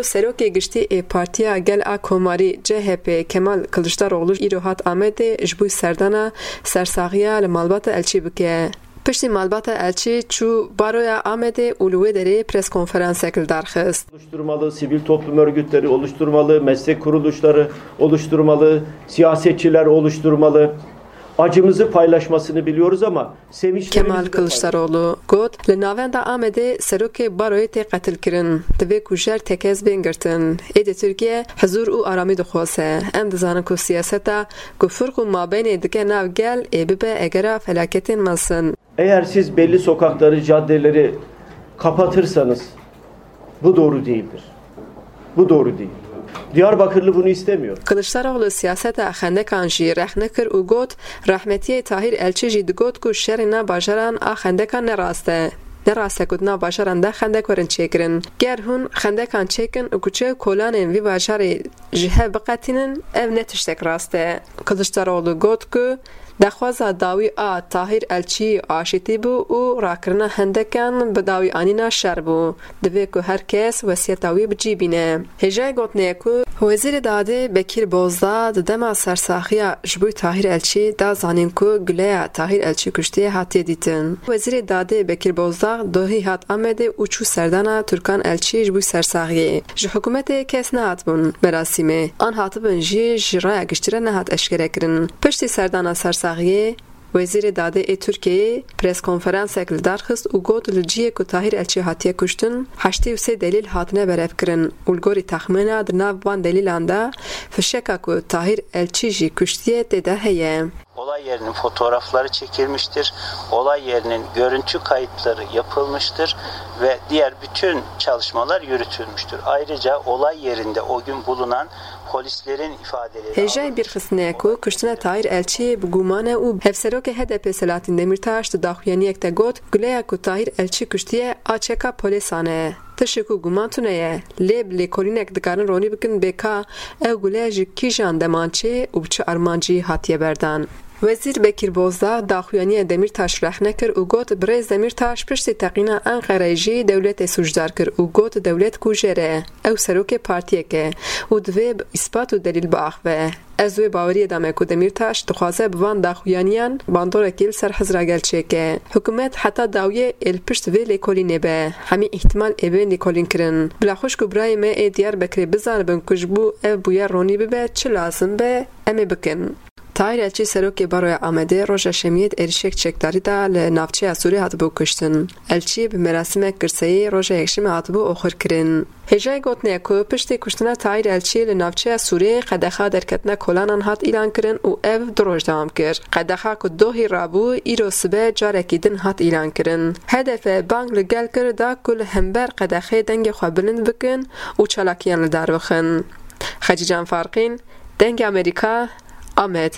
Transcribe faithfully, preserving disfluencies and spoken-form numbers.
Serokê Giştî ê Partiya Gel a Komarî, C H P, Kemal Kiliçdaroglu îro hat Amedê ji bo serdana sersaxiya li malbata Elçî bike. Piştî malbata Elçî çû baroya Amedê û li wê derê preskonferansek li dar xist. Oluşturmalı, sivil toplum örgütleri oluşturmalı, meslek kuruluşları oluşturmalı, siyasetçiler oluşturmalı. Acımızı paylaşmasını biliyoruz ama sevinçlerimizi Kemal de Kiliçdaroglu got, li navenda Amedê serokê baroyê tê qetilkirin. Divê kujer tekez bên girtin. Êdî Tirkiye hizûr û aramî dixwaze. Em dizanin ku siyaseta ku firq û mabeynê dike nav gel ê bibe egera felaketên mezin. Eğer siz belli sokakları, caddeleri kapatırsanız bu doğru değildir. Bu doğru değil. Diyarbakırlı bunu istemiyor. Kiliçdaroglu siyaseta xendekan jî rexne kir û got, rehmetiyê Tahîr Elçî jî digot ku şerê nav bajaran a xendekan ne rast e. Ne rast e ku di nav bajaran de xendek werin çêkirin. Ger hûn xendekan çêkin û kuçe û kolanên vî bajarê ji hev biqetînin, ev ne tiştek rast e. Kiliçdaroglu got ku daxwaza dawî a Tahîr Elçî aşîtî bû û rakirina hendekan bi dawî anîna şer bû. Divê ku her kes wesiyeta wî bi cî bîne. Hêjayî gotinê ye ku Wezîrê Dadê Bekîr Bozdağ di dema sersaxiya ji bo Tahîr Elçî da zanîn ku guleya Tahîr Elçî kuştiye hatiye dîtin. Wezîrê Dadê Bekîr Bozdağ dohî hat Amedê û çû serdana Turkan Elçî ji bo sersaxiyê. Ji hikûmetê kes nehatibûn merasîmê. An hatibin jî ji raya giştî re nehat eşkerekirin. Piştî serdana sersaxiyê, Wezîrê Dadê ê Tirkiyeyê preskonferansek li dar xist û got, li cihê ku Tahîr Elçî hatiye kuştin, heştê û sê delîl hatine berevkirin û li gorî texmîna di nav van delîlan de fişeka ku Tahîr Elçî jî kuştiye tê de heye. Olay yerinin fotoğrafları çekilmiştir. Olay yerinin görüntü kayıtları yapılmıştır ve diğer bütün çalışmalar yürütülmüştür. Ayrıca olay yerinde o gün bulunan polislerin ifadeleri Hêjayî bîrxistinê ye ku kuştina Tahîr Elçî bi guman e û Hevserokê H D P Selahattin Demirtaş di daxuyaniyek de got, guleya ku Tahîr Elçî kuştiye a çeka polêsan e. Tişt ku guman tune ye, lê bi lêkolînek dikarin ronî bikin bê ka ew gule ji kîjan demançê û bi çi armancî hatiye berdan. Wezîr Bekîr Bozdağ daxuyaniya Demîrtaş rexne kir û got, Birêz Demîrtaş piştî teqîna Enqereyê jî dewletê sûcdar kir û got, dewlet kujer e. Ew serokê partiyek e û divê bi îspat û delîl biaxive. Ez wê baweriyê dame ku Demîrtaş dixwaze bi van daxuyaniyan bandorekî li ser Hizra gel çêke. Hikûmet heta dawiyê ê li pişt vê lêkolînê be. Hemî îhtimal ê bên lêkolînkirin. Bila xwişk û birayê me ê Diyarbekirê bizanibin ku ji bo ev bûyer ronî bibe çi lazim be, em ê bikin. Tahîr Elçî serokê Baroya Amedê roja Şemiyê di êrişek çekdarî de li navçeya Sûrê hatibû kuştin. Elçî bi merasîmek girseyî roja Yekşemê hatibû oxirkirin. Hêjayî gotinê ye ku piştî kuştina Tahîr Elçî li navçeya Sûrê qedexa derketina kolanan hat îlankirin û ev du roj dewam kir. Qedexa ku dohî rabû, îro sibe carekî din hat îlankirin. H D P bang li gel kir da ku li hember qedexê dengê xwe bilind bikin û çalakiyan li dar bixin. Xecîcan Farqîn, Dengê Amerîka, Amed.